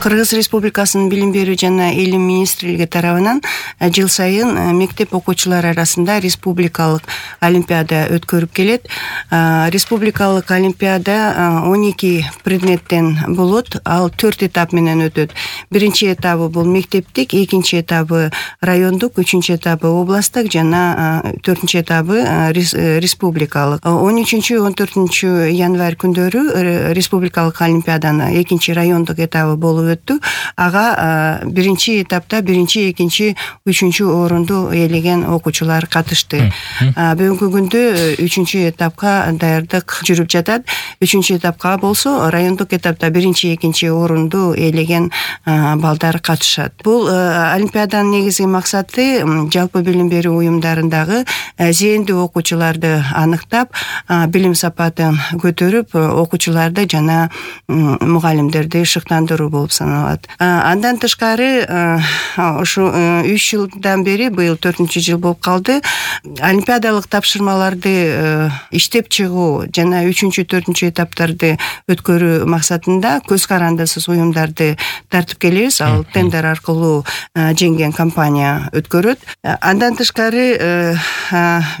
Кыргыз Республикасынын Билим берүү жана Илим министрлиги тарабынан жыл сайын мектеп окуучулары арасында республикалык олимпиада өткөрүп келет. Республикалык олимпиада 12 предметтен болот. Ал 4 этап менен өтөт. Биринчи этабы бул мектептик, экинчи этабы райондук, үчүнчү этабы областтык жана 4-чү этабы республикалык. 13-14 январь күндөрү республикалык олимпиаданын экинчи райондук этабы болуп өттү. Ага биринчи этапта биринчи, экинчи, үчүнчү орунду ээлеген окуучулар катышты. Бүгүнкү күндө 3-чү этапка даярдык жүрүп жатат. 3-чү этапка болсо райондук этапта биринчи, экинчи орунду ээлеген балдар катышат. Бул олимпиаданын негизги максаты жалпы билим берүү уюмдарындагы зээндүү окуучуларды аныктап, билим сапатын көтөрүп, окуучуларды жана мугалимдерди шыктандыруу болуп саналат. Андан тышкары ушу 3 жылдан бери, быйыл 4-жыл болуп калды, олимпиадалык тапшырмаларды иштеп чыгуу жана 3-чү, 4-чү этаптарды өткөрүү максатында көз карандысыз уюмдарды тартып келебиз. Ал тендер аркылуу жеңген компания өткөрөт. Андан тышкары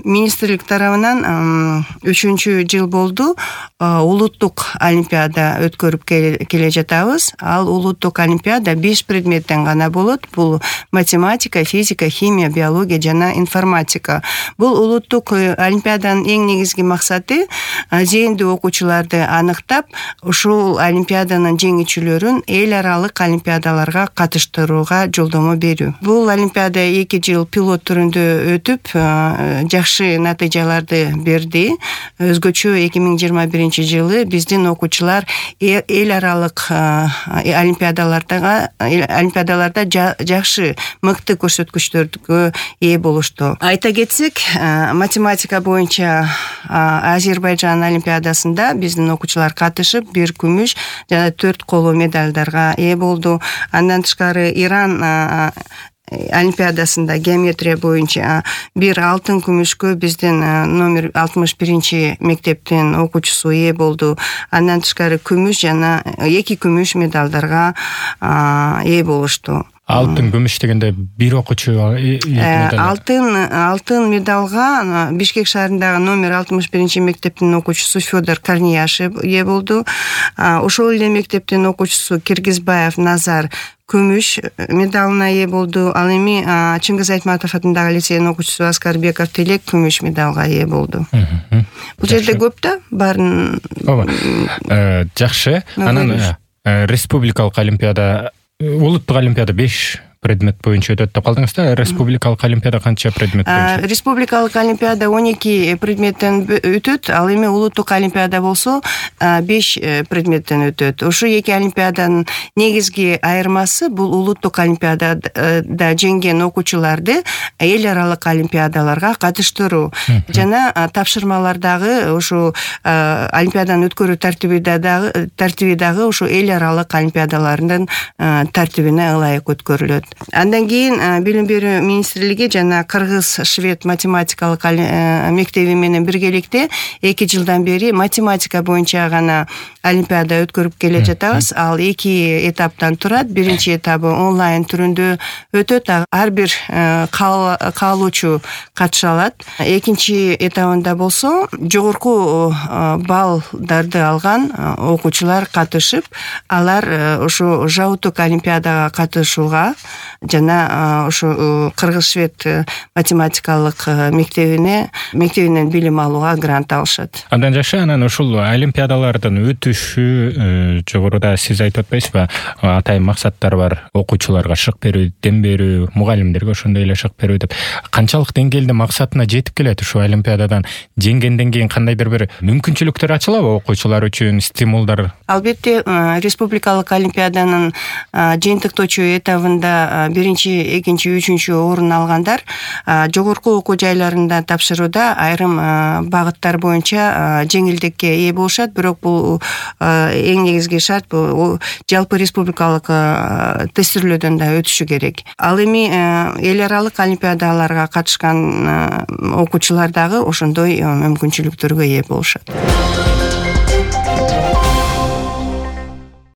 министрлик тарабынан 3-чү жыл болду улуттук олимпиада өткөрүп келе жатабыз. Ал улуттук олимпиада 5 предметтен гана болот. Бул математика, физика, химия, биология жана информатика. Бул улуттук олимпиаданын эң негизги максаты зээндүү окуучуларды аныктап, ушул олимпиаданын жеңүүчүлөрүн эл аралык олимпиадаларга катыштырууга жолдомо берүү. Бул олимпиада 2 жыл пилот түрүндө өтүп, жакшы натыйжаларды берди. Өзгөчө 2021 жылы биздин окуучулар эл аралык олимпиадаларда жакшы, мыкты көрсөткүчтөргө ээ болушту. Айта кетсек, математика боюнча Азербайжан олимпиадасында биздин окуучулар катышып, 1 күмүш жана 4 коло медалдарга ээ болду. Андан тышкары Иран олимпиадасында геометрия боюнча 1 алтын күмүшкө биздин номер 61 мектептин окуучусу ээ болду. Андан тышкары күмүш жана 2 күмүш медалдарга ээ болушту. Алтын күмүш дегенде бир окуучу алтын медалга Бишкек шаарындагы номер 61 мектептин окуучусу Федор Корнияшев ээ болду. Ошол эле мектептин окуучусу Киргизбаев Назар күмүш медалына ээ болду. Ал эми Чыңгыз Айтматов атындагы лицейдин окуучусу Аскарбеков Тилек күмүш медалга ээ болду. Бул жерде көп да баарын. Жакшы. Анан республикалык олимпиада, улуттук олимпиада 5 предмет боюнча өтөт деп калдыңыз да. Республикалык олимпиада канча предмет боюнча? Республикалык олимпиада 12 предметтен өтөт. Ал эми улуттук олимпиада болсо 5 предметтен өтөт. Ошо эки олимпиаданын негизги айырмасы бул улуттук олимпиадада жеңген окуучуларды эл аралык олимпиадаларга катыштыруу жана тапшырмалардагы ушу олимпиаданы өткөрүү тартиби дагы ушу эл аралык олимпиадалардын тартибине ылайык өткөрүлөт. Андан кийин Билим берүү министрлиги жана Кыргыз-Швед математикалык мектеби менен биргеликте 2 жылдан бери математика боюнча гана олимпиада өткөрүп келе жатабыз. Ал 2 этаптан турат. Биринчи этабы онлайн түрүндө өтөт. Ар бир каалоочу катыша алат. Экинчи этабында болсо жогорку баллдарды алган окуучулар катышып, алар ошо жабыттык олимпиадага катышууга жана ошо Кыргыз-Швед математикалык мектебинен билим алууга грант алышат. Андан жакшы, анан ушул олимпиадалардын өтүшү жогоруда сиз айтып атпайсызбы? Атайын максаттар бар. Окуучуларга шык берүү, дем берүү, мугалимдерге ошондой эле шык берүү деп. Канчалык деңгээлде максатына жетип келет ушул олимпиададан жеңгенден кийин кандайдыр бир мүмкүнчүлүктөр ачылабы окуучулар үчүн, стимулдар? Албетте, республикалык олимпиаданын жыйынтыктоочу этабында биринчи, экинчи, үчүнчү орун алгандар жогорку окуу жайларында тапшырууда айрым багыттар боюнча жеңилдикке ээ болушат. Бирок бул эң негизги шарт бул жалпы республикалык тестирлөөдөн да өтүшү керек. Ал эми эл аралык олимпиадаларга катышкан окуучулар дагы ошондой мүмкүнчүлүктөргө ээ болушат.